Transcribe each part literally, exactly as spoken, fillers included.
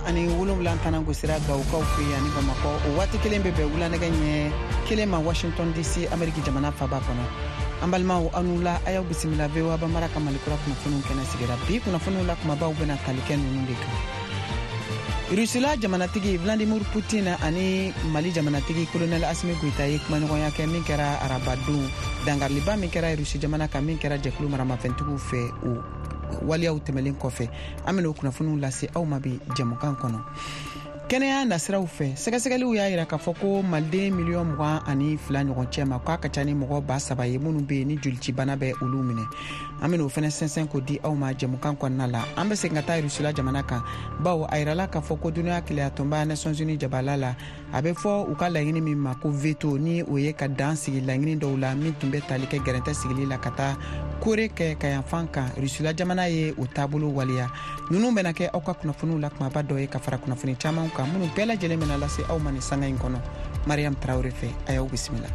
tan ani wolonwula tana gosira Gawokaw fɛ yen ani Bamakɔ. O waati kelen bɛ bɛn wulanɛgɛ ɲɛ kelen ma Washington D C, Ameriki jamana faba kɔnɔ. An balimaw, aw ni wula, a y'aw bisimila V O A Bambara ka Malikura kunnafoniw kɛnɛ sigira. Bi kunnafoniw la kumabaw bɛna tali kɛ ninnu de kan: Rusila jamanatigi Vladimir Putin ani Mali jamanatigi Colonel Asimi Goita ye kumaɲɔgɔnya kɛ min kɛra arabadon. Dangariliba min kɛra Rusi jamana kan, min kɛra jɛkulu maramafɛntigiw fɛ, o waleyaw tɛmɛlen kɔfɛ, an bɛna o kunnafoniw lase aw ma bi jɛmukan kɔnɔ. Kɛnɛya nasiraw fɛ, sɛgɛsɛgɛliw y'a yira k'a fɔ ko maliden miliyɔn mugan ani fila ɲɔgɔn cɛ ma, k'a ka ca ni mɔgɔ ba saba ye minnu bɛ yen ni jolicibana bɛ olu minɛ. An bɛna o fɛnɛ sɛnsɛn k'o di aw ma jɛmukan kɔnɔna la. An bɛ segin ka taa Rusila jamana kan, bawo a yirala k'a fɔ ko Duniya Kelenyatɔnba Nations Unies jabala la, a bɛ fɔ u ka laɲini min ma ko veto, ni o ye ka dan sigi laɲini dɔw la min tun bɛ tali kɛ gɛrɛntɛ sigili la ka taa Kore kɛ ka yanfan kan, Rusila jamana ye o taabolo waleya. Ninnu bɛna kɛ aw ka kunnafoniw la kumaba dɔ ye, ka fara kunnafoni caman kan minnu bɛɛ lajɛlen bɛna lase aw ma nin sanga in kɔnɔ Mariam Tarawele fɛ. A y'aw bisimila.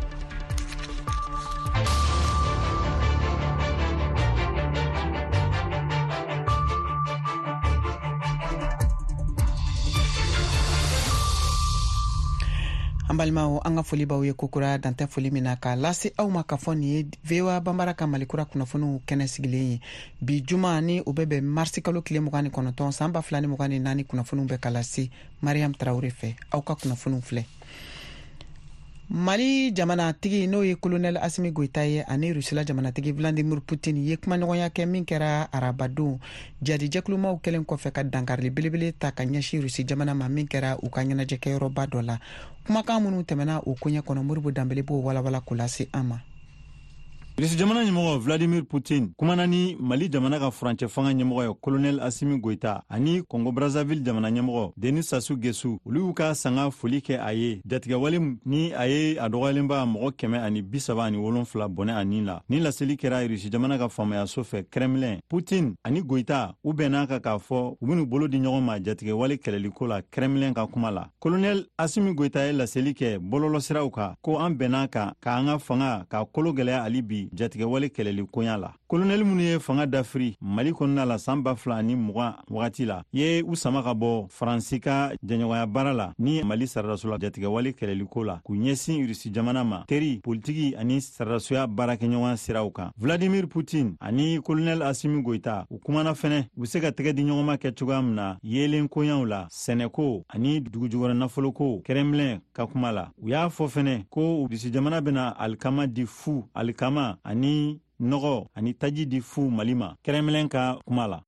An balimaw, an ka foli b'aw ye kokura, dantɛ foli min na k'a lase aw ma k'a fɔ nin ye V O A Bambara ka Malikura kunnafoniw kɛnɛ sigilen ye. Bi juma, ni o bɛ bɛn marisi kalo tile mugan ni kɔnɔntɔn, san ba fila ni mugan ni naani, kunnafoniw bɛ ka lase Mariam Tarawele fɛ. Aw ka kunnafoniw filɛ: Mali jamanatigi, n'o ye Colonel Asimi Goita ye, ani Rusila jamanatigi Vladimir Putin ye kumaɲɔgɔnya kɛ min kɛra arabadon, jadijɛkulumaw kɛlen kɔfɛ ka dankarili belebele ta ka ɲɛsin Rusi jamana ma, min kɛra u ka ɲɛnajɛkɛyɔrɔba dɔ la. Kumakan minnu tɛmɛna o koɲɛ kɔnɔ, Moribo Danbele b'o walawala k'o lase an ma. Irisi jamana ɲɛmɔgɔ Vladimir Putin kumana ni Mali jamana ka furancɛ fanga ɲɛmɔgɔ ye Colonel Asimi Goita ani Congo Brazzaville jamana ɲɛmɔgɔ Denis Sassou Nguesso. Olu y'u ka sanga foli kɛ a ye jatigɛwale ni a ye a dɔgɔyalenba mɔgɔ kɛmɛ ani bisaba ani wolonfila bɔnɛ a nin la. Ni laseli kɛra Irisi jamana ka faamayaso fɛ, Kremlin. Putin ani Goita, u bɛnna kan k'a fɔ u ben'u bolo di ɲɔgɔn ma jatigɛwale kɛlɛliko la, Kremlin ka kuma la. Colonel Asimi Goita ye laseli kɛ bɔlɔlɔsiraw kan ko an bɛnna kan k'an ka fanga k'a kolo gwɛlɛya ali bi jatigɛwale kɛlɛli koɲa la. Kolonɛli minnu ye fanga dafiri Mali kɔnɔna la saan ba fila ani mugan wagati la, ye u sama ka bɔ Faransi ka jɛɲɔgɔnya baara la ni Mali saradasula jatigɛwale kɛlɛliko la, k'u ɲɛsin Rusi jamana ma teri politiki ani saradasuya baarakɛɲɔgɔn siraw kan. Vladimir Putin ani Kolonɛl Asimi Goita, u kumana fɛnɛ u be se ka tɛgɛ di ɲɔgɔnma kɛ cogoya min na yeelen koɲaw la, sɛnɛko ani dugujukɔrɔ nafoloko, Kremlin ka kuma la. U y'a fɔ fɛnɛ ko Rusi jamana bena alikama di fu, alikama ani nɔgɔ ani taji di fu Mali ma, Kremlin ka kuma la.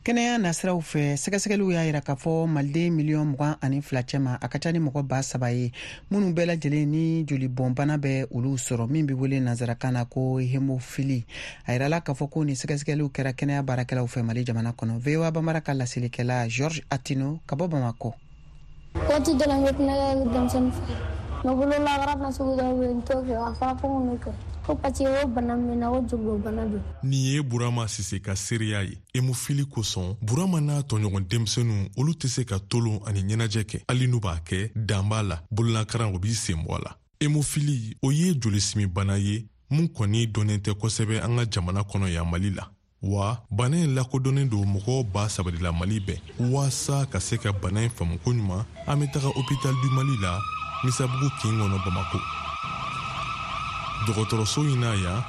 Kɛnɛya nasiraw fɛ, sɛgɛsɛgɛliw y'a yira k'a fɔ maliden miliyɔn mugan ani fila cɛma, a ka ca ni mɔgɔ ba saba ye minnu bɛɛ lajɛlen ni jolibɔnbana bɛ olu sɔrɔ, min bɛ wele nansarakan na ko hémophilie. A yirala k'a fɔ ko nin sɛgɛsɛgɛliw kɛra kɛnɛya baarakɛlaw fɛ Mali jamana kɔnɔ. V O A Bambara ka laselikɛla George Atino ka bɔ Bamakɔ. Waati dɔ la, n bɛ tulonkɛ kɛ denmisɛnnin fɛ, mɛ bololakara na sugu dɔw bɛ yen, n t'o kɛ. A fɔra ko n k'o kɛ ko parce que o bana min na, o jolibɔnbana don. Nin ye Burama Sise ka seereya ye. Hémophilie kosɔn, Burama n'a tɔɲɔgɔn denmisɛnninw, olu tɛ se ka tolon ani ɲɛnajɛ kɛ. Hali n'u b'a kɛ, dan b'a la, bololakaran o b'i sen bɔ a la. Hémophilie, o ye jolisimibana ye mun kɔni dɔnnen tɛ kosɛbɛ an ka jamana kɔnɔ yan Mali la. Wa bana in lakodɔnnen don mɔgɔw ba saba de la Mali bɛɛ. Waasa ka se ka bana in faamu koɲuman, an bɛ taga Hôpital du Mali la, Misabugu kin kɔnɔ, Bamako. Dɔgɔtɔrɔso in na yan,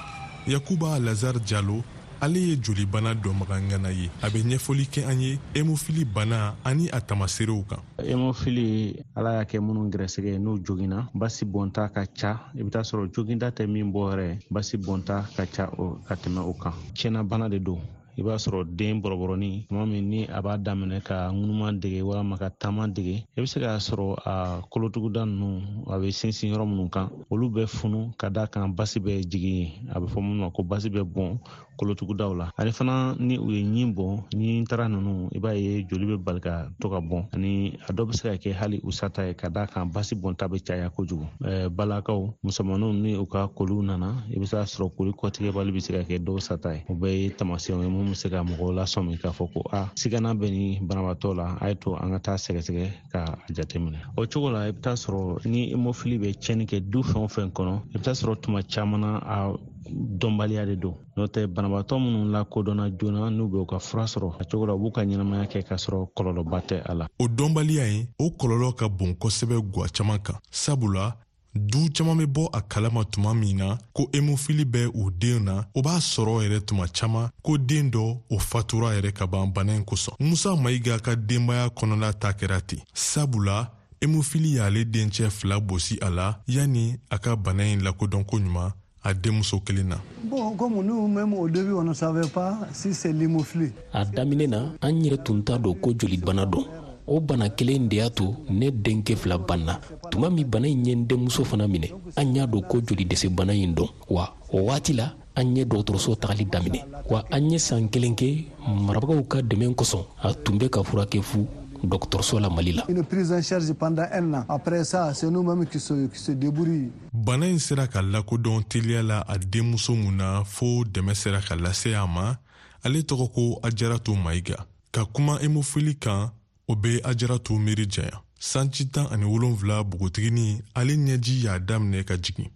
Yakuba Lazare Jalo, ale ye jolibana dɔnbaga ŋana ye. A bɛ ɲɛfɔli kɛ an ye hémophilie bana ani a tamaserew kan. Hémophilie, Ala y'a kɛ minnu gɛrɛsɛgɛ n'u joginna, basi bɔnta ka ca. I bɛ taa sɔrɔ joginda tɛ min bɔ yɛrɛ, basi bɔnta ka ca o ka tɛmɛ o kan. Tiɲɛna bana de don. I b'a sɔrɔ den bɔrɔbɔrɔni tuma min ni a b'a daminɛ ka ŋunuma dege walama ka taama dege, i bɛ se k'a sɔrɔ a kolotuguda ninnu, a bɛ sinsin yɔrɔ minnu kan, olu bɛ funu ka da kan basi bɛ jigin yen. A bɛ fɔ minnu ma ko basi bɛ bɔn kolotugudaw la. Ani fana, ni u ye ɲin bɔn, ɲin tara ninnu, i b'a ye joli bɛ bali ka to ka bɔn. Ani a dɔw bɛ se ka kɛ hali u sata ye, ka da kan basi bɔnta bɛ caya kojugu. Balakaw musomaninw, ni u ka koliw nana, i bɛ se k'a sɔrɔ koli kɔtigɛbali bɛ se ka kɛ dɔw sata ye. O bɛɛ ye taamasiyɛnw ye mun bɛ se ka mɔgɔw lasɔmi k'a fɔ ko a sigana bɛ ni banabaatɔ la, a ye to an ka taa sɛgɛsɛgɛ k'a jateminɛ. O cogo la, i bɛ taa sɔrɔ ni hémophilie bɛ tiɲɛni kɛ du fɛn o fɛn kɔnɔ, i bɛ taa sɔrɔ tuma caman na, a dɔnbaliya de don. N'o tɛ, banabaatɔ minnu lakodɔnna joona, n'u bɛ u ka fura sɔrɔ a cogo la, u b'u ka ɲɛnamaya kɛ k'a sɔrɔ kɔlɔlɔba tɛ a la. O dɔnbaliya in, o kɔlɔlɔ ka bon kosɛbɛ gwa caman kan, sabula du caman bɛ bɔ a kalama tuma min na ko hémophilie bɛ u den na, o b'a sɔrɔ yɛrɛ tuma caman ko den dɔ o fatura yɛrɛ ka ban bana in kosɔn. Musa Mayiga ka denbaya kɔnɔla ta kɛra ten, sabula hémophilie y'ale dencɛ fila bosi a la yanni a ka bana in lakodɔn ko ɲuman a denmuso kelen na. Bon, comme nous-mêmes au début, on ne savait pas si c'est l'hémophilie. A daminɛ na, an yɛrɛ tun t'a dɔn ko jolibana don. O bana kelen de y'a to ne denkɛ fila banna. Tuma min bana in ye n denmuso fana minɛ, an y'a dɔn ko joli dɛsɛ bana in don. Wa o waati la, an ye dɔgɔtɔrɔso tagali daminɛ. Wa an ye san kelen kɛ marabagaw ka dɛmɛ kosɔn, a tun bɛ ka furakɛ fu dɔgɔtɔrɔso la Mali la. Une prise en charge pendant un an. Après ça, c'est nous-mêmes qui se, qui se débrouillent. Bana in sera ka lakodɔn teliya la a denmuso mun na fo dɛmɛ sera ka lase a ma, ale tɔgɔ ko Ajaratu Mayiga. Ka kuma hémophilie kan, o bɛ Ajaratu miiri janya. Sanji tan ani wolonfila npogotiginin, ale ɲɛji y'a daminɛ ka jigin.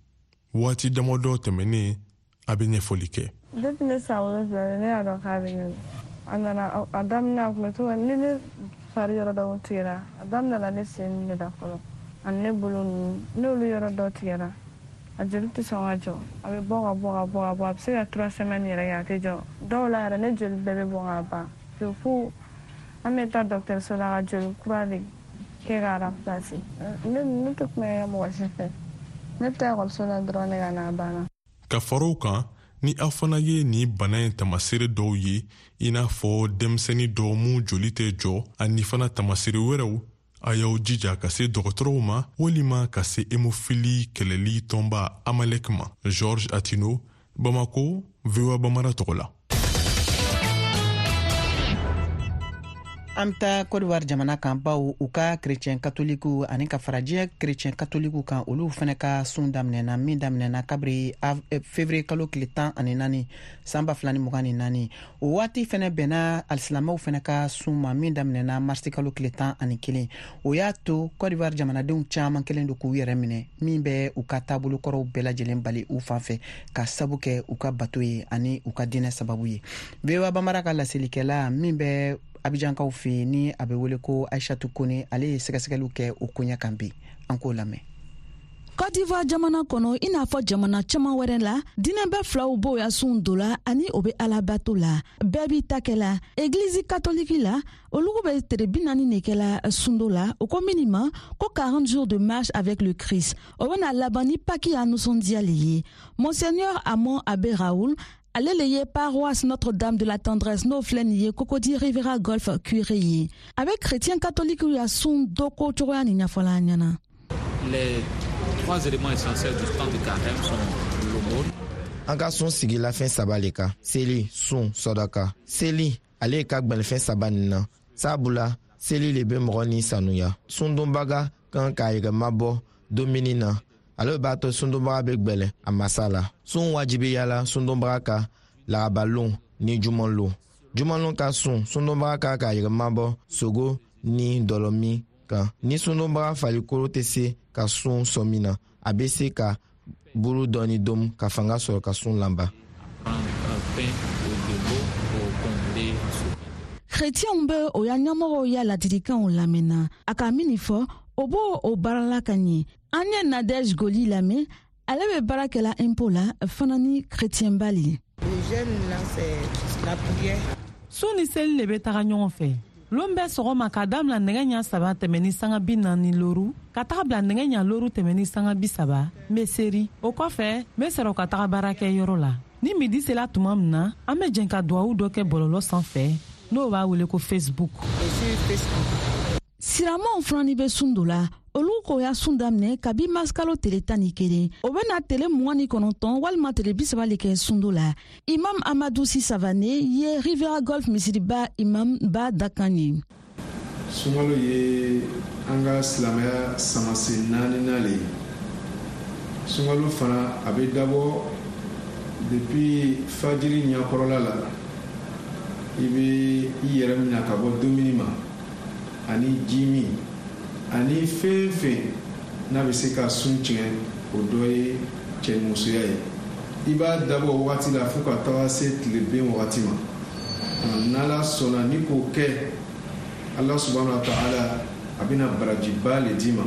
Waati damadɔ tɛmɛnen, a bɛ ɲɛfɔli kɛ. Depuis ne san wolonfila, ne y'a dɔn k'a bɛ ne. A nana a daminɛ, a tun bɛ to ka ni ne fari yɔrɔ dɔw tigɛra. A daminɛla ne sen de la fɔlɔ, ani ne bolo ninnu. N'olu yɔrɔ dɔw tigɛra, a joli tɛ sɔn ka jɔ, a bɛ bɔ ka bɔ ka bɔ ka bɔ, a bɛ se ka trois semaines yɛrɛ kɛ a tɛ jɔ. Dɔw la yɛrɛ, ne joli bɛɛ bɛ bɔn ka ban fo an bɛ taa dɔgɔtɔrɔso la ka joli kura de kɛ k'a remplacer. Ne ne tɛ kuma kɛ mɔgɔ si fɛ, ne bɛ taa ekɔliso la dɔrɔn de ka na, a banna. Ka fara o kan, ni aw fana ye nin bana in tamaseere dɔw ye, i n'a fɔ denmisɛnnin dɔw mun joli tɛ jɔ, ani fana tamaseere wɛrɛw, a y'aw jija ka se dɔgɔtɔrɔw ma walima ka se hémophilie kɛlɛli tɔnba Amalek ma. Georges Atino, Bamako, V O A Bamara tɔgɔ la. An bɛ taa Côte d'Ivoire jamana kan, baw u ka chrétien katoliku ani ka fara diɲɛ chrétien katoliku kan, olu fana ka sun daminɛna, min daminɛna kabiri février kalo tile tan ani naani san ba fila ni mugan ni naani. O waati fana bɛnna alisilamɛw fana ka sun ma, min daminɛna marisi kalo tile tan ani kelen. O y'a to Côte d'Ivoire jamanadenw caman kelen don k'u yɛrɛ minɛ, min bɛ u ka taabolo kɔrɔw bɛɛ lajɛlen bali u fan fɛ, ka sabu kɛ u ka bato ye ani u ka diinɛ sababu ye. V O A Bamara ka laselikɛla min bɛ Abijankaw fɛ yen, ni a bɛ wele ko Aishatu Kone, ale ye sɛgɛsɛgɛliw kɛ o koɲɛ kan bi, an k'o lamɛn. Côte d'Ivoire jamana kɔnɔ, i n'a fɔ jamana caman wɛrɛ la, diinɛ bɛɛ filaw b'o ya sun do la ani o be alabato la. Bɛɛ b'i ta kɛ la. Egilizi katoliki la, olugu bɛ tere bi naani de kɛla sundo la, o ko mini ma ko quarante jours de marche avec le Christ. O bena laban ni Paki ya nisɔndiya le ye. Monseigneur Amon Abbé Raoul, ale le ye paroisse Notre-Dame de la Tendresse, n'o filɛ nin ye Cocody Riviera Golf curé ye. A bɛ chrétien catholique ya sun dɔ ko cogoya nin ɲɛfɔla an ɲɛna. Les trois éléments essentiels du temps de carême sont l'aumône. An ka sun sigila fɛn saba le kan: seli, sun, sɔdaka. Seli, ale ka gwɛlɛfɛn saba nin na, sabula seli le be mɔgɔ ni sanuya. Sundonbaga kan k'a yɛrɛ mabɔ dumuni na, ale b'a to sundonbaga be gwɛlɛ a masa la. Sun wajibiyala sundonbaga ka larabalon ni jumanlon. Jumanlon ka sun, sundonbaga ka k'a yɛrɛ mabɔ sogo ni dɔlɔmin kan. Ni sundonbaga farikolo tɛ se ka sun sɔmi na, a bɛ se ka buru dɔɔni domu ka fanga sɔrɔ ka sun lanba. Pain ou de l'eau pour combler ce Chrétienw bɛ o ya ɲɛmɔgɔw ya ladilikanw lamɛnna. A ka min fɔ, o b'o o baarala ka ɲɛ. An ye Nadege Goli lamɛn, ale bɛ baara kɛla impôt la fana ni chrétien ba le. Sun ni seli le bɛ taga ɲɔgɔn fɛ. Lon bɛɛ sɔgɔma, k'a damina nɛgɛ ɲa saba tɛmɛ ni sanga bi naani loru ka taga bila nɛgɛ ɲa loru tɛmɛ ni sanga bi saba, n be seri. O kɔfɛ, n be sɔrɔ ka taga baarakɛ yɔrɔ la. Ni midi sela tuma min na, an be jɛn ka duwawu dɔ kɛ bɔlɔlɔ sanfɛ, n'o b'a wele ko Facebook. Siramaw fana bɛ sun do la. Olu k'o ya sun daminɛ kabi masikalo tele tan ni kelen. O bena tele mugan ni kɔnɔntɔn walima tele bisaba le kɛ sundo la. Imam Amadu Si Savane ye Riviera Golf misiriba imam ba dakan ye. Sunkalo ye an ka silamɛya samasen naaninan le ye. Sunkalo fana, a bɛ dabɔ depuis fajiri ɲakɔrɔla la. I bɛ i yɛrɛ minɛ ka bɔ dumuni ma ani ji min ani fɛn fɛn n'a bɛ se ka sun tiɲɛ, o dɔ ye cɛnimusoya ye. I b'a dabɔ wagati la fo ka taga se tile ben wagati ma. N'Ala sɔnna ni k'o kɛ, Ala subahana wa taala a bɛna barajiba le d'i ma.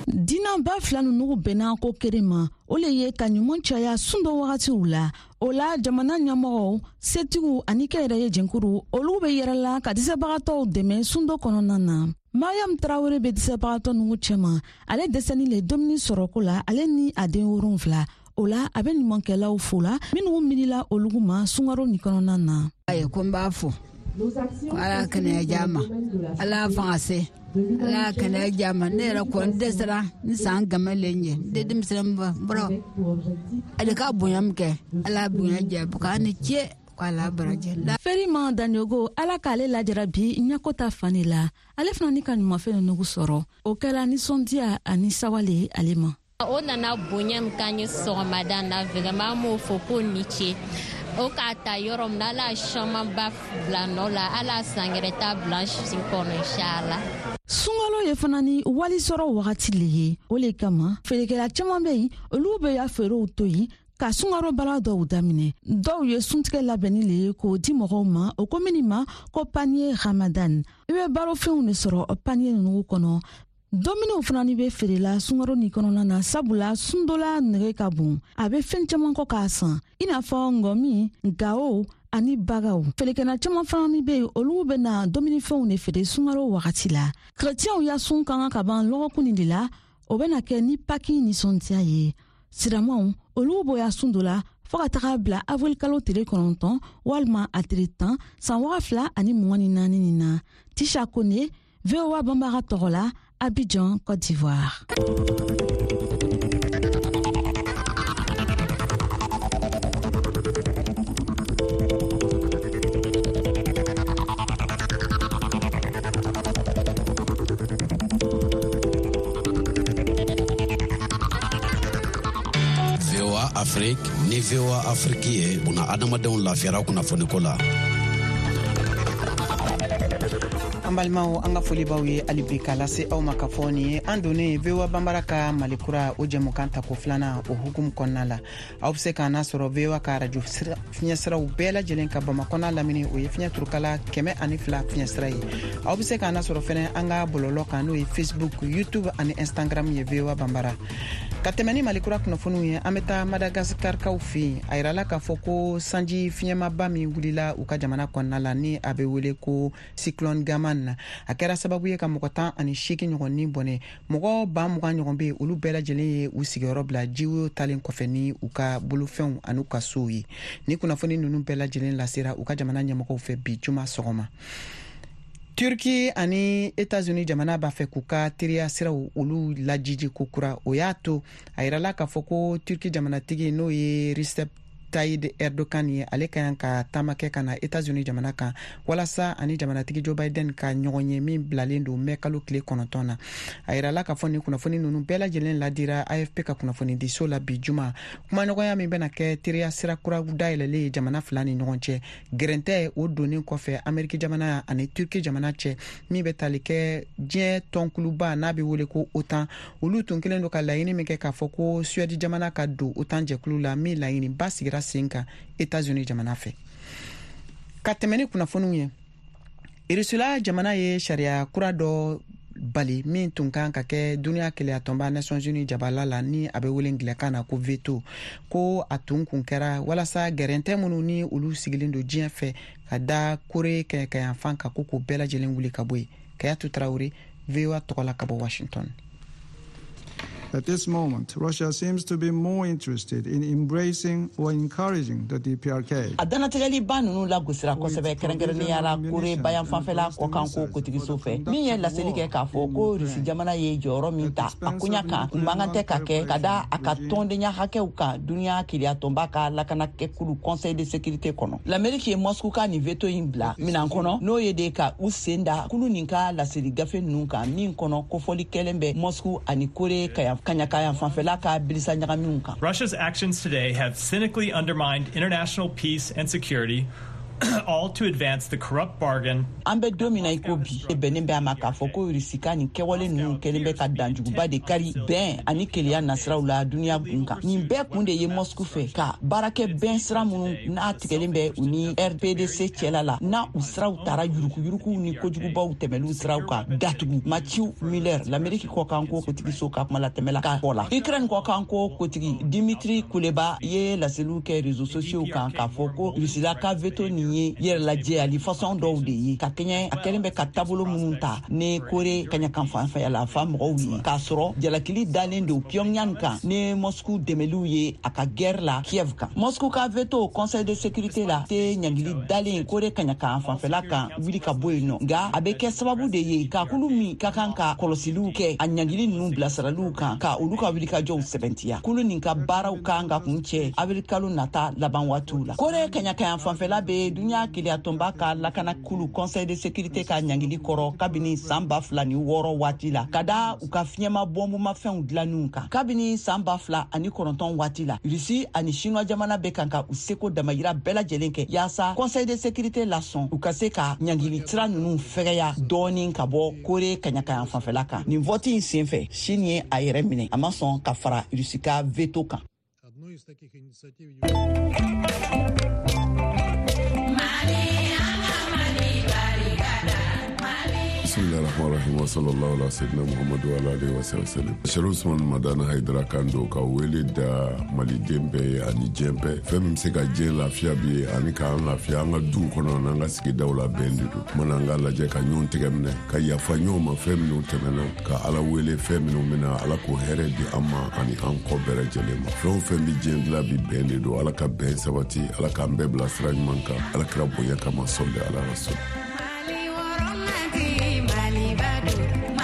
Dinaba fila ninnu bɛnna ko kelen ma, o le ye ka ɲuman caya sun dɔ wagatiw la. O la jamana ɲɛmɔgɔw, setigiw ani kɛnyɛrɛye jɛnkuru, olu bɛ yɛrɛ la ka dɛsɛbagatɔw dɛmɛ sun dɔ kɔnɔna na. Mariam Tarawele bɛ dɛsɛbagatɔ ninnu cɛma. Ale dɛsɛni le dumuni sɔrɔko la, ale ni a den wolonfila. O la a bɛ ɲumankɛlaw fo la minnu miirila olu ma sunkaro nin kɔnɔna na. Ayi, ko n b'a fo ko Ala kɛnɛya diya ma, Ala fanga se, Ala kɛnɛya diya ma. Ne yɛrɛ kɔni dɛsɛra ni san gama le ɲɛ n tɛ denmisɛnnin bɔrɔ ale ka bonya min kɛ, Ala bonya diya k'a ni ce k'Ala barajɛ. Ferima Daniogo, Ala k'ale lajara bi ɲako ta fan de la. Ale fana ni ka ɲumanfɛn ninnu sɔrɔ, o kɛra nisɔndiya ani sawale ale ma. O nana bonya min k'an ye sɔgɔmada na, vraiment an b'o fɔ ko ni ce. O k'a ta yɔrɔ min na, Ala camanba bila nɔ la, Ala sankɛrɛ ta bila si kɔnɔ inshallah. Sunkalo ye fana ni wali sɔrɔ wagati le ye. O le kama feerekɛla caman bɛ yen, olu bɛ ya feerew to yen ka sunkaro baara dɔw daminɛ. Dɔw ye suntigɛ labɛnni le ye k'o di mɔgɔw ma, o ko minnu ma ko panier Ramadan. I bɛ barofɛnw de sɔrɔ panier ninnu kɔnɔ. Dumuniw fana ni bɛ feerela sunkaro nin kɔnɔna na, sabula sundola nege ka bon, a bɛ fɛn caman kɔ k'a san, i n'a fɔ ngɔmi, gawo ani bagaw. Feerekɛla caman fana ni bɛ yen, olu bɛ na dumunifɛnw de feere sunkaro wagati la. Kerecɛnw ya sun ka kan ka ban lɔgɔkun nin de la, o bɛna kɛ ni paki nisɔndiya ye. Siramaw, olu bɔya sun dɔ la fo ka taga bila avril kalo tile kɔnɔntɔn walima a tile tan san waga fila ani mugan ni naani nin na. Tisha Kone, V O A Banbara tɔgɔ la, Abidjan, Côte d'Ivoire. V O A Afrique ni V O A Afrique ye buna adamadenw lafiyara kunnafoniko la. An balimaw, an ka foli b'aw ye hali bi k'a lase aw ma k'a fɔ nin ye an donnen V O A Banbara ka Malikura o jɛmukan tako filanan o hukumu kɔnɔna la. Aw bɛ se k'an nasɔrɔ V O A ka arajo fiɲɛsiraw bɛɛ lajɛlen ka Bamakɔ n'a lamini, o ye fiɲɛ turukala kɛmɛ ani fila fiɲɛsira ye. Aw bɛ se k'an nasɔrɔ fɛnɛ an ka bɔlɔlɔ kan, n'o ye Facebook, YouTube ani Instagram ye V O A Banbara. Ka tɛmɛ ni Malikura kunnafoniw ye, an bɛ taa Madagaskarkaw fɛ yen. A yirala k'a fɔ ko sanji fiɲɛmaba min wulila u ka jamana kɔnɔna la, ni a bɛ wele ko cyclone Gaman, a kɛra sababu ye ka mɔgɔ tan ani seegin ɲɔgɔn ni bɔnɛ. Mɔgɔ ba mugan ɲɔgɔn bɛ yen, olu bɛɛ lajɛlen ye u sigiyɔrɔ bila jiwoyo talen kɔfɛ ni u ka bolofɛnw ani u ka sow ye. Ni kunnafoni ninnu bɛɛ lajɛlen lasera u ka jamana ɲɛmɔgɔw fɛ bi juma sɔgɔma. Turki ani États-Unis jamana b'a fɛ k'u ka teriya siraw olu lajiji ko kura. O y'a to a yirala k'a fɔ ko Turki jamanatigi, n'o ye Recep Tayyip Erdogan ye, ale ka kan ka taama kɛ ka na États-Unis jamana kan walasa ani jamanatigi Joe Biden ka ɲɔgɔn ye min bilalen don mɛ kalo tile kɔnɔntɔn na. A yirala k'a fɔ nin kunnafoni ninnu bɛɛ lajɛlen ladira A F P ka kunnafonidiso la bi juma. Kumaɲɔgɔnya min bɛna kɛ teriya sira kura dayɛlɛlen ye jamana fila ni ɲɔgɔn cɛ, gɛrɛntɛ o donnen kɔfɛ Ameriki jamana ani Turki jamana cɛ, min bɛ tali kɛ diɲɛ tɔnkuluba n'a bɛ wele ko OTAN. Olu tun kɛlen don ka laɲini min kɛ k'a fɔ ko Suède jamana ka don OTAN jɛkulu la, min laɲiniba sigira sen kan États-Unis jamana fɛ. Ka tɛmɛ ni kunnafoniw ye, Irisila jamana ye sariya kura dɔ bali min tun kan ka kɛ duniya keleya tɔnba Nations Unies jabala la, ni a bɛ wele angilɛkan na ko veto, ko a tun kun kɛra walasa gɛrɛntɛ minnu ni olu sigilen don diɲɛ fɛ ka da Kore kɛɲɛkɛyanfan kan, ko k'o bɛɛ lajɛlen wuli ka bɔ yen. Kayatu Tarawele, V O A tɔgɔ la ka bɔ Washington. At this moment, Russia seems to be more interested in embracing or encouraging the D P R K. A danatɛgɛliba ninnu lagosira kosɛbɛ, kɛrɛnkɛrɛnnenya la Kore bayanfanfɛla kɔkanko kotigiso fɛ, min ye laseli kɛ k'a fɔ ko Rusi jamana ye jɔyɔrɔ min ta a koɲa kan, u man kan tɛ ka kɛ ka da a ka tɔndenya hakɛw kan duniya keleyatɔnba ka lakanakɛkulu Conseil de sécurité kɔnɔ. L'Amérique ye Moscou ka nin veto in bila minan kɔnɔ, n'o ye de ka u sen da kulu nin ka laseli gafe ninnu kan, min kɔnɔ kofɔli kɛlen bɛ Moscou ani Kore kaya fanfɛla ka bilisa ɲagamiw kan. Russia's actions today have cynically undermined international peace and security All to advance the corrupt bargain. An bɛ don min na i ko bi, bɛnnen bɛ a ma k'a fɔ ko Irisi ka nin kɛwale ninnu kɛlen bɛ ka danjuguba de kari bɛn ani kelenya nasiraw la duniya gun kan. Nin bɛɛ kun de ye Moscou fɛ ka baarakɛ bɛn sira minnu n'a tigɛlen bɛ u ni R P D C cɛla la, n'a u siraw taara yuruguyuruguw ni kojugubaw tɛmɛliw siraw kan datugu. Matthew Miller, l'Amérique kɔkanko kotigiso ka kuma latɛmɛ la k'a fɔ la. Ukraine kɔkanko kotigi Dimitri Kuleba ye laseliw kɛ réseaux sociaux kan k'a fɔ ko Russie ka veto nin ye yɛrɛlajɛyali façon dɔw de ye ka kɛɲɛ a kɛlen bɛ ka taabolo minnu ta ni Kore kaɲakan fanfɛla la fa mɔgɔw ye, k'a sɔrɔ jalakili dalen don Pyongyang kan ni Moscou dɛmɛliw ye a ka guerre la Kiev kan. Moscou ka veto Conseil de sécurité la tɛ ɲangili dalen Kore kaɲakan fanfɛla kan wuli ka bɔ yen nɔ, nka a bɛ kɛ sababu de ye ka kulu min ka kan ka kɔlɔsiliw kɛ a ɲangili ninnu bilasiraliw kan ka olu ka wulikajɔw sɛbɛntiya. Kulu nin ka baaraw kan ka kun cɛ avril kalo nata laban waatiw la. Kore kaɲakan fanfɛla bɛ duniya keleyatɔnba ka lakana kulu Conseil de sécurité ka ɲangili kɔrɔ kabini san ba fila ni wɔɔrɔ waati la ka da u ka fiɲɛma bɔnbumafɛnw dilanniw kan. Kabini san ba fila ani kɔnɔntɔn waati la, Russie ani Chinois jamana bɛ kan ka u seko damayira bɛɛ lajɛlen kɛ yaasa Conseil de sécurité lasɔn u ka se ka ɲangili sira ninnu fɛgɛya dɔɔni ka bɔ Kore kaɲakan fanfɛla kan. Nin vote in senfɛ, Chine ye a yɛrɛ minɛ, a ma sɔn ka fara Russie ka veto kan. Bismillahirrahmanirrahim wa sallallahu ala sayyidina Muhammadu wa ala alihi wa sallam. Sherif Usman Madani Haidara kan don ka wele da maliden bɛɛ ye ani diɲɛ bɛɛ. Fɛn min bɛ se ka diɲɛ lafiya bi ye ani k'an lafiya an ka duw kɔnɔ n'an ka sigidaw la bɛn de don. Mana an ka lajɛ ka ɲɔgɔn tɛgɛ minɛ, ka yafa ɲɔgɔn ma fɛn minnu tɛmɛna, ka Ala wele fɛn minnu bɛna, Ala k'o hɛrɛ di an ma ani an kɔ bɛɛ lajɛlen ma. Fɛn o fɛn bɛ diɲɛ dilan bi bɛn de don. Ala ka bɛn sabati, Ala k'an bɛɛ bila sira ɲuman kan, Ala kira bonya kama sɔli ala rasul.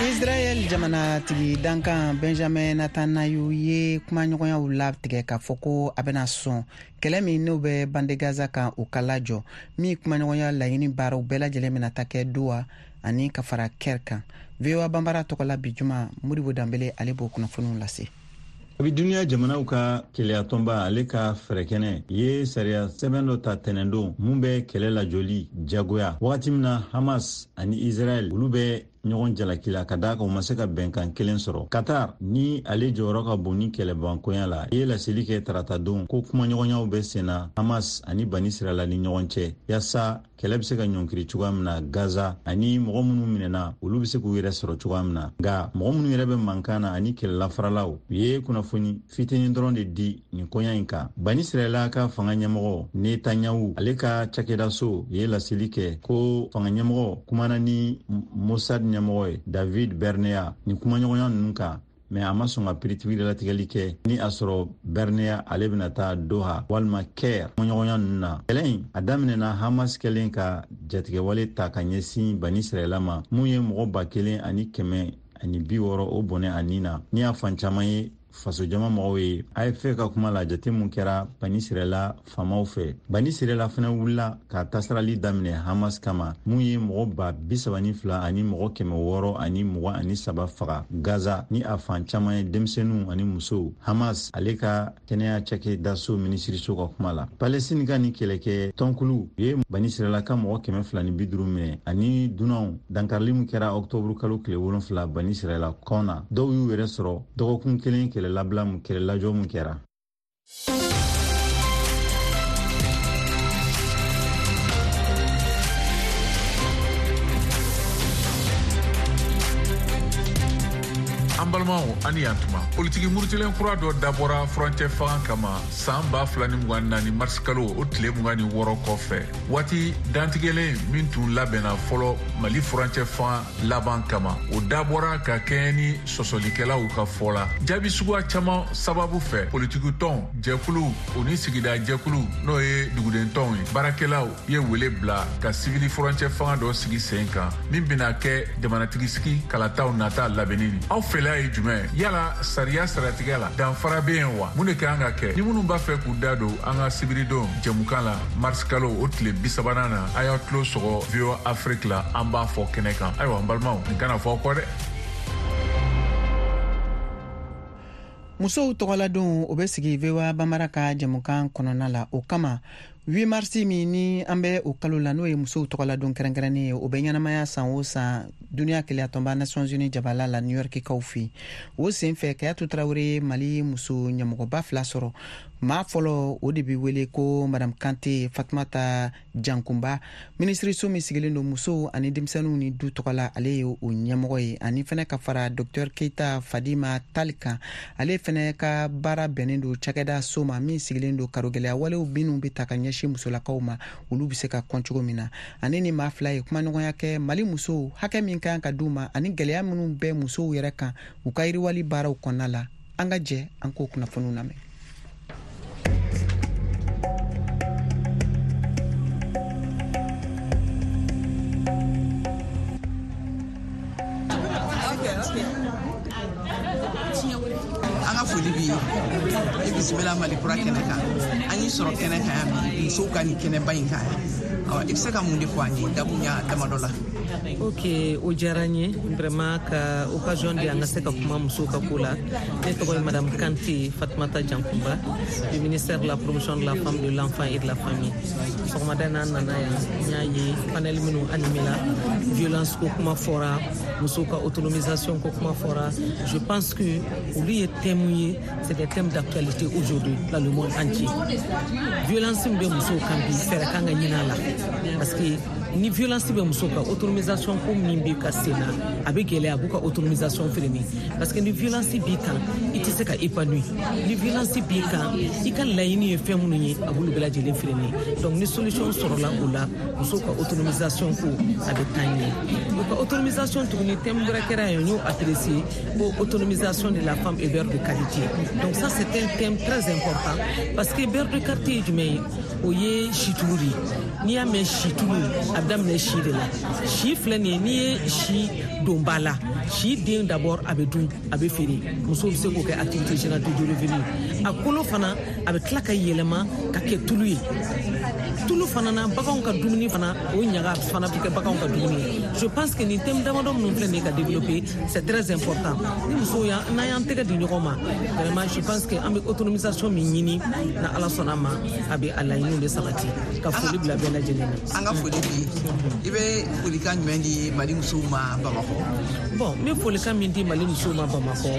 Israel jamanatigi dankan Benjamin Netanyahu ye kumaɲɔgɔnyaw latigɛ k'a fɔ ko a bɛna sɔn kɛlɛ min n'o bɛ bande Gaza kan o ka lajɔ, min kumaɲɔgɔnya laɲini baaraw bɛɛ lajɛlen bɛna ta kɛ Doha ani ka fara Caire kan. V O A Banbara tɔgɔ la bi juma, Modibo Danbele ale b'o kunnafoniw lase. Abi duniya jamanaw ka keleyatɔnba ale ka fɛɛrɛkɛnɛ ye sariya sɛbɛn dɔ ta tɛnɛndon mun bɛ kɛlɛ lajɔli jagoya wagati min na Hamas ani Israel olu bɛ ɲɔgɔn jalaki la ka d'a kan u ma se ka bɛnkan kelen sɔrɔ. Qatar ni ale jɔyɔrɔ ka bon ni kɛlɛbankonya la ye laseli kɛ taratadon ko kumaɲɔgɔnyaw bɛ senna Hamas ani Bani Israɛla ni ɲɔgɔn cɛ yaasa kɛlɛ bɛ se ka ɲɔnkiri cogoya min na Gaza ani mɔgɔ minnu minɛna olu bɛ se k'u yɛrɛ sɔrɔ cogoya min na. Nka mɔgɔ minnu yɛrɛ bɛ mankan na ani kɛlɛlafaralaw u ye kunnafoni fitinin dɔrɔn de di nin koɲa in kan. Bani Israɛla ka fanga ɲɛmɔgɔ Netanyahu ale ka cakɛdaso ye laseli kɛ ko fanga ɲɛmɔgɔ kumana ni Mossad ɲɛmɔgɔ ye David Bernea nin kumaɲɔgɔnya ninnu kan, mɛ a ma sɔn ka piritigɛlatigɛli kɛ ni a sɔrɔ Bernea ale bɛna taa Doha walima Caire kumaɲɔgɔnya ninnu na. Kɛlɛ in a daminɛna Hamas kɛlen ka jatigɛwale ta ka ɲɛsin Bani Israɛla ma mun ye mɔgɔ ba kelen ani kɛmɛ ani bi wɔɔrɔ o bɔnɛ a nin na ni y'a fan caman ye fasojama mɔgɔw ye. A F P ka kuma la jate mun kɛra Bani Israɛla faamaw fɛ. Bani Israɛla fana wulila ka tasarali daminɛ Hamas kama mun ye mɔgɔ ba bi saba ni fila ani mɔgɔ kɛmɛ wɔɔrɔ ani mugan ani saba faga Gaza ni a fan caman ye denmisɛnninw ani musow. Hamas ale ka kɛnɛya cakɛdaso minisiriso ka kuma la, Palestine ka ni kɛlɛkɛ tɔnkulu ye Bani Israɛla ka mɔgɔ kɛmɛ fila ni bi duuru minɛ ani dunanw. Dankarili mun kɛra ɔktɔburu kalo tile wolonfila Bani Israɛla kɔn na, dɔw y'u yɛrɛ sɔrɔ dɔgɔkun kelen kɛlɛ labila mun kɛlɛ lajɔ mun kɛra. An balimaw, ani yan tuma politiki murutilen kura dɔ dabɔra furancɛ fanga kama san ba fila ni mugan naani marisi kalo o tile mugan ni wɔɔrɔ kɔfɛ, waati dantigɛlen min tun labɛnna fɔlɔ Mali furancɛ fanga laban kama, o dabɔra ka kɛɲɛ ni sɔsɔlikɛlaw ka fɔ la. Jaabi suguya caman sababu fɛ, politiki tɔn jɛkulu o ni sigida jɛkulu n'o ye duguden tɔnw ye, baarakɛlaw ye wele bila ka sivili furancɛ fanga dɔ sigi sen kan min bɛna kɛ jamanatigisigi kalataw nata labɛnni ni. Aw fɛla ye jumɛn? Yala sariya saratigɛ la danfara bɛ yen wa? Mun de kan ka kɛ? Ni minnu b'a fɛ k'u da don an ka sibiridon jɛmukan la marisi kalo o tile bi sabanan na, a y'aw tulo sɔgɔ V O A Afrique la, an b'a fɔ kɛnɛ kan. Ayiwa n balimaw, nin kana fɔ aw kɔ dɛ. Musow tɔgɔladon o bɛ sigi V O A Banbara ka jɛmukan kɔnɔna la. O kama huit mars min ni an bɛ o kalo la, n'o ye musow tɔgɔladon kɛrɛnkɛrɛnnen ye, o bɛ ɲɛnamaya san o san duniya keleyatɔnba Nations Unies jabala la New York kaw fɛ. O sen fɛ, Kayatu Tarawele ye Mali muso ɲɛmɔgɔba fila sɔrɔ. Maa fɔlɔ, o de bɛ wele ko Madame Kante Fatumata Jankunba, minisiriso min sigilen don musow ani denmisɛnninw ni du tɔgɔ la, ale ye o ɲɛmɔgɔ ye. Ani fɛnɛ ka fara Docteur Keita Fadima Tali kan, ale fɛnɛ ka baara bɛnnen don cakɛda so ma min sigilen don karogɛlɛya walew minnu bɛ ta ka ɲɛsin musolakaw ma, olu bɛ se ka kɔn cogo min na. Ani ni maa fila ye kumaɲɔgɔnya kɛ Mali musow hakɛ min kan ka d'u ma ani gɛlɛya minnu bɛ musow yɛrɛ kan u ka yiriwali baaraw kɔnɔna la. An ka jɛ an k'o kunnafoniw lamɛn. An ka foli b'i ye, i bisimila Mali kura kɛnɛ kan. An y'i sɔrɔ kɛnɛ kan yan bi, musow ka nin kɛnɛba in kan yan. I bɛ se ka mun de fɔ an ye dakuruɲa damadɔ la? Ok, o diyara n ye vraiment ka occasion di an ka se ka kuma musow ka ko la. Ne tɔgɔ ye Madame Kante Fatumata Jankunba, du ministère de la promotion de la femme, de l'enfant et de la famille. Sɔgɔmada in na, an nana yan, n y'a ye panel minnu animé la, violence ko kuma fɔra, musow ka autonomisation ko kuma fɔra. Je pense que olu ye thème ye, c'est des thèmes d'actualité aujourd'hui dans le monde entier. Violence min bɛ musow kan bi, fɛɛrɛ kan ka ɲini a la, parce que ni violence bɛ muso kan, autonomisation ko min bɛ ka sen na, a bɛ gɛlɛya, a b'u ka autonomisation freiner, parce que ni violence b'i kan, i tɛ se ka épanouir. Ni violence b'i kan, i ka laɲini ye fɛn minnu ye, a b'olu bɛɛ lajɛlen freiner. Donc ni solution sɔrɔla o la, musow ka autonomisation ko a bɛ taa ɲɛ. U ka autonomisation tuguni, thème wɛrɛ kɛra yan, n y'o apprécié, ko autonomisation de la femme et beurre de qualité. Donc ça, c'est un thème très important, parce que beurre de qualité ye jumɛn ye? O ye situlu de ye. N'i y'a mɛn situlu, a bɛ daminɛ si de la. Si filɛ nin ye, n'i ye si don ba la, si den d'abord a bɛ dun, a bɛ feere, musow bɛ se k'o kɛ activité génératrice de revenu. A kolo fana, a bɛ tila ka yɛlɛma ka kɛ tulu ye. Tulu fana na, baganw ka dumuni fana, o ɲaga fana bɛ kɛ baganw ka dumuni ye. Je pense que nin thème damadɔ minnu filɛ nin ye ka développer, c'est très important. Ni musow y'an n'an y'an tɛgɛ di ɲɔgɔn ma, vraiment je pense que an bɛ autonomisation min ɲini, na Ala sɔnna a ma, a bɛ a laɲiniw bɛ sabati. Ka foli bila bɛɛ lajɛlen na. An ka foli b'i ye. I bɛ folikan jumɛn di Mali musow ma Bamakɔ? Bon, n bɛ folikan min di Mali musow ma Bamakɔ,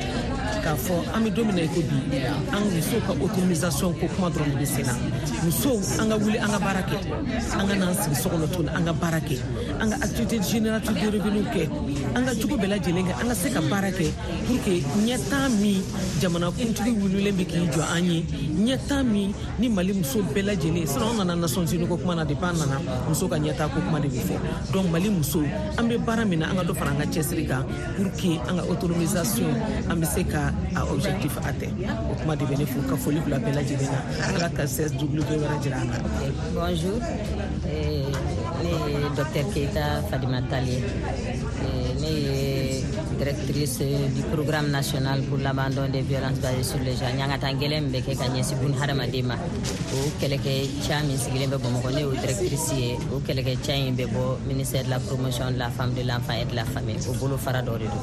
k'a fɔ an bɛ don min na i ko bi, an musow ka autonomisation ko kuma dɔrɔn de bɛ sen na. Musow, an ka wuli, an ka baara kɛ, an ka n'an sigi so kɔnɔ tuguni, an ka baara kɛ, an ka activité génératrice de revenu kɛ, an ka cogo bɛɛ lajɛlen kɛ, an ka se ka baara kɛ pour que ɲɛtaa min jamanakuntigi wulilen bɛ k'i jɔ an ye, ɲɛtaa min ni Mali muso bɛɛ lajɛlen. Sinon an nana Nations Unies ko kuma na, depuis an nana, muso ka ɲɛtaa ko kuma de bɛ fɔ. Donc Mali musow, an bɛ baara min na, an ka dɔ fara an ka cɛsiri kan pour que an ka autonomisation, an bɛ se ka a objectif atteint. O kuma de bɛ ne fo ka foli bila bɛɛ lajɛlen na. Ala ka C S W wɛrɛ jira an na. Bonjour, ne ye Docteur Keita Fadima Tall ye. Ne ye directrice du programme national pour l'abandon des violences basées sur le genre. Ɲangata gɛlɛn min bɛ kɛ ka ɲɛsin bun hadamaden ma, o kɛlɛkɛca min sigilen bɛ Bamakɔ, ne y'o directrice ye. O kɛlɛkɛca in bɛ bɔ ministère de la promotion de la femme, de l'enfant et de la famille, o bolo fara dɔ de don.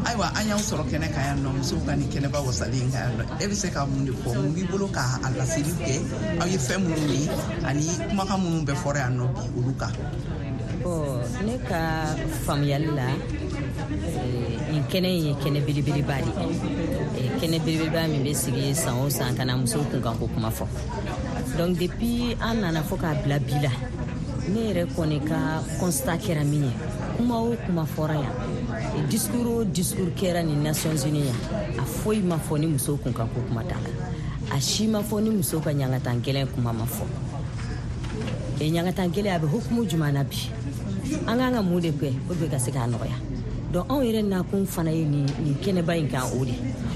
Ayiwa, an y'aw sɔrɔ kɛnɛ kan yan nɔ, musow ka nin kɛnɛba wasalen kan yan nɔ. E bɛ se ka mun de fɔ, mun b'i bolo k'a laseliw kɛ aw ye fɛn minnu ye ani kumakan minnu bɛ fɔra yan nɔ bi olu kan? Bon, ne ka faamuyali la, nin kɛnɛ in ye kɛnɛ belebeleba de ye, kɛnɛ belebeleba min bɛ sigi san o san ka na musow kunkanko kuma fɔ. Donc depuis an nana fo k'a bila bi la, ne yɛrɛ kɔni ka constat kɛra min ye, kuma o kuma fɔra yan, discours o discours kɛra ni Nations Unies yan, a foyi ma fɔ ni musow kunkanko kuma t'a la, a si ma fɔ ni musow ka ɲangatan gɛlɛn kuma ma fɔ. E ɲangatan gɛlɛn a bɛ hukumu jumɛn na bi? An kan ka mun de kɛ pour que ka se k'a nɔgɔya? Donc anw yɛrɛ nakun fana ye nin nin kɛnɛba in kan o de,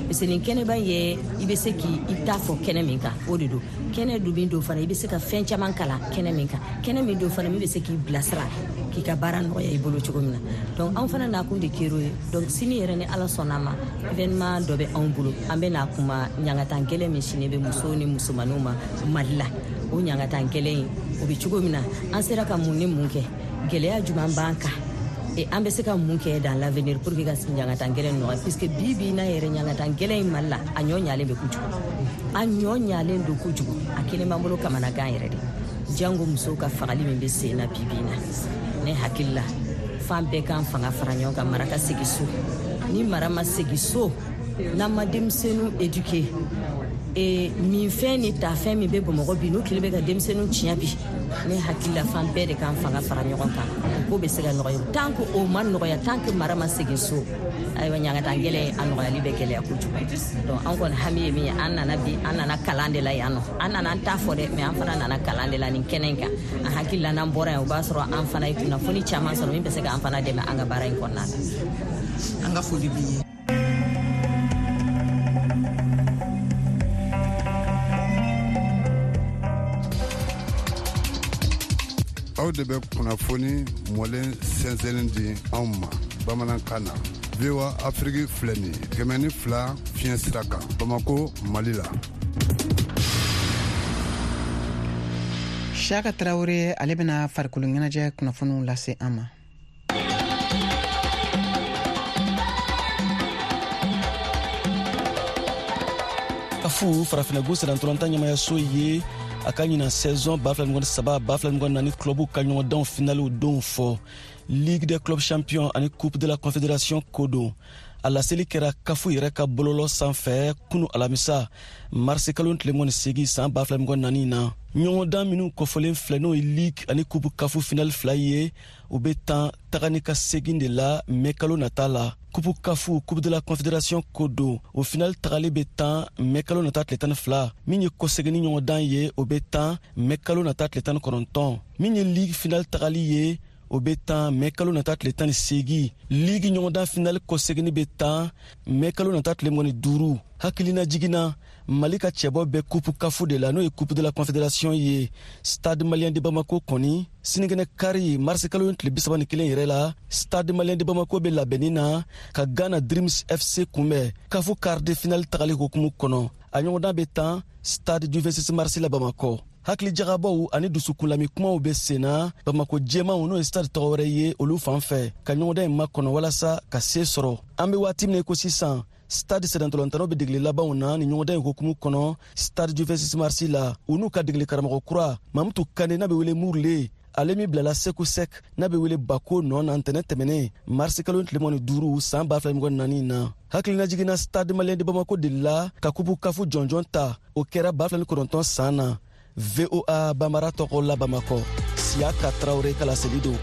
parce que nin kɛnɛba in ye, i bɛ se k'i ta fɔ kɛnɛ min kan, o de don. Kɛnɛ dun min don fana, i bɛ se ka fɛn caman kalan kɛnɛ min kan, kɛnɛ min don fana min bɛ se k'i bilasira k'i ka baara nɔgɔya i bolo cogo min na. Donc anw fana nakun de kɛr'o ye. Donc sini yɛrɛ ni Ala sɔnna ma, événement dɔ bɛ anw bolo, an bɛ n'a kuma ɲangatan gɛlɛn min sini bɛ musow ni musomaninw ma Mali la. O ɲangatan gɛlɛn in, o bɛ cogo min na, an sera ka mun ni mun kɛ, gɛlɛya jumɛn b'an kan Et an bɛ se ka mun kɛ dans l'avenir pour que ka ɲangata gɛlɛn nɔgɔya, puisque bi bi n'a yɛrɛ ɲangata gɛlɛn in Mali la, a ɲɔ ɲalen bɛ kojugu, a ɲɔ ɲalen don kojugu, a kelen b'an bolo kamanagan yɛrɛ de. Jango musow ka fagali min bɛ sen na bi bi in na, ne hakili la fan bɛɛ k'an fanga fara ɲɔgɔn kan, mara ka segin so. Ni mara ma segin so, n'an ma denmisɛnninw éduquer, e minfɛn ni tafɛn min bɛ Bamakɔ bi, n'u tile bɛ ka denmisɛnninw tiɲɛ bi, ne hakili la fan bɛɛ de k'an fanga fara ɲɔgɔn kan, o ko bɛ se ka nɔgɔya. Tant que o ma nɔgɔya, tant que mara ma segin so, ayiwa ɲangata gɛlɛn a nɔgɔyali bɛ gɛlɛya kojugu. Donc an kɔni hami ye min ye, an nana bi, an nana kalan de la yan nɔ, an nana an t'a fɔ dɛ, mais an fana nana kalan de la nin kɛnɛ in kan. An hakili la n'an bɔra yan, o b'a sɔrɔ an fana ye kunnafoni caman sɔrɔ min bɛ se k'an fana dɛmɛ an ka baara in kɔnɔna na. An ka foli b'i ye. Aw de bɛ kunnafoni mɔlen sɛnsɛnni di anw ma bamanankan na. V O A Afrique filɛ nin ye kɛmɛ ni fila fiɲɛ sira kan Bamako, Mali la. Siaka Traoré ale bɛna farikolo ɲɛnajɛ kunnafoniw lase an ma. Kafu farafinna sennantolatan ɲɛmayaso ye a ka ɲinan saison ba fila mugan ni saba ba fila mugan naani clubu ka ɲɔgɔndanw finaliw donw fɔ Ligue des clubs champions ani Coupe de la Confédération ko don. A laseli kɛra kafu yɛrɛ ka bɔlɔlɔ sanfɛ kunu alamisa marisi kalo tile mugan ni seegin san ba fila mugan naani na. Ɲɔgɔndan minnu kɔfɔlen filɛ, n'o ye Ligue ani Coupe kafu finali fila ye, u bɛ tan taga ni ka segin de la mɛ kalo nata la. Coupe kafu Coupe de la Confédération ko don, o finali tagali bɛ tan mɛ kalo nata tile tan ni fila. Min ye kɔseginni ɲɔgɔndan ye, o bɛ tan mɛ kalo nata tile tan ni kɔnɔntɔn. Min ye Ligue finali tagali ye, o bɛ tan mɛ kalo nata tile tan ni seegin. Ligue ɲɔgɔndan finali kɔseginni bɛ tan mɛ kalo nata tile mugan ni duuru. Hakilina jiginna, Mali ka cɛbɔ bɛ Coupe kafu de la, n'o ye Coupe de la Confédération ye. Stade Malien de Bamako kɔni sinikɛnɛ kari marisi kalo tile bi saba ni kelen yɛrɛ la, Stade Malien de Bamako bɛ labɛnni na ka Ghana Dreams F C kunbɛn kafu quart de finale tagali hukumu kɔnɔ. A ɲɔgɔndan bɛ tan Stade du vingt-six mars la Bamakɔ. Hakili jagabɔw ani dusukunlami kumaw bɛ sen na Bamako jɛmanw, n'o ye stade tɔgɔ wɛrɛ ye, olu fan fɛ ka ɲɔgɔndan in makɔnɔ walasa ka se sɔrɔ. An bɛ waati min na i ko sisan, Stade sennantolatannaw bɛ degeli labanw na ni ɲɔgɔndan in hukumu kɔnɔ Stade du vingt-six mars la. U n'u ka degeli karamɔgɔ kura Mamutu Kane, n'a bɛ wele Murule, ale min bilala Seku Sek, n'a bɛ wele Bako nɔ na ntɛnɛn tɛmɛnen marisi kalo tile mugan ni duuru san ba fila mugan ni naani na. Hakilina jiginna, Stade Malien de Bamako delila ka kupu kafu jɔnjɔn ta, o kɛra ba fila ni kɔnɔntɔn san na. V O A Bambara tɔgɔ la Bamakɔ, Siaka Traoré ka laseli don.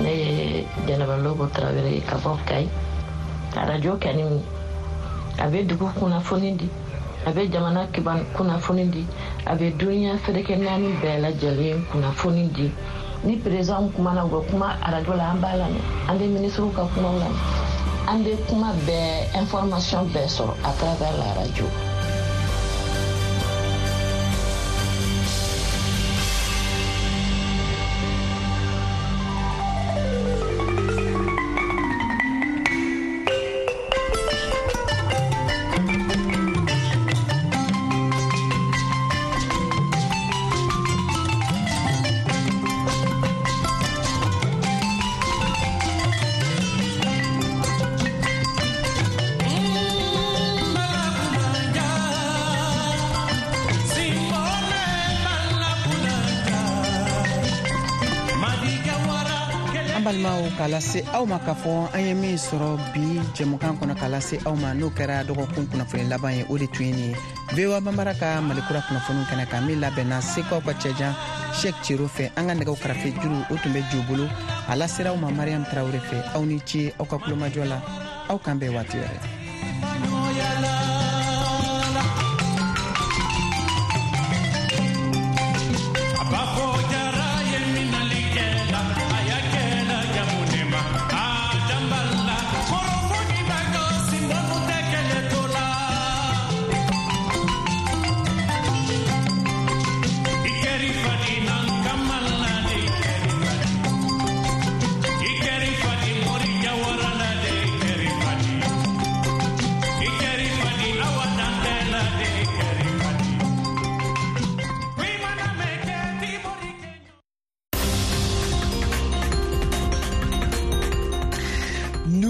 Ne ye Jɛnɛba Lobo Tarawele ye ka bɔ Kayi. Arajo kɛni a bɛ dugu kunnafoni di, a bɛ jamana kiban kunnafoni di, a bɛ duniya ferekɛ naani bɛɛ lajɛlen kunnafoni di. Ni président kumana, u bɛ kuma arajo la, an b'a lamɛn, an bɛ minisiriw ka kumaw lamɛn, an bɛ kuma bɛɛ, information bɛɛ sɔrɔ à travers la radio. Balimaw, k'a lase aw ma k'a fɔ an ye min sɔrɔ bi jɛmukan kɔnɔ k'a lase aw ma, n'o kɛra dɔgɔkun kunnafoni laban ye, o de tun ye nin ye V O A Bambara ka Malikura kunnafoniw kɛnɛ kan, min labɛnna Sekaw ka cɛjan Sheikh Cero fɛ. An ka nɛgɛw karafe juru o tun bɛ jo bolo, a lasera aw ma Mariam Traoré fɛ. Aw ni ce aw ka kulomajɔ la, aw k'an bɛn waati wɛrɛ.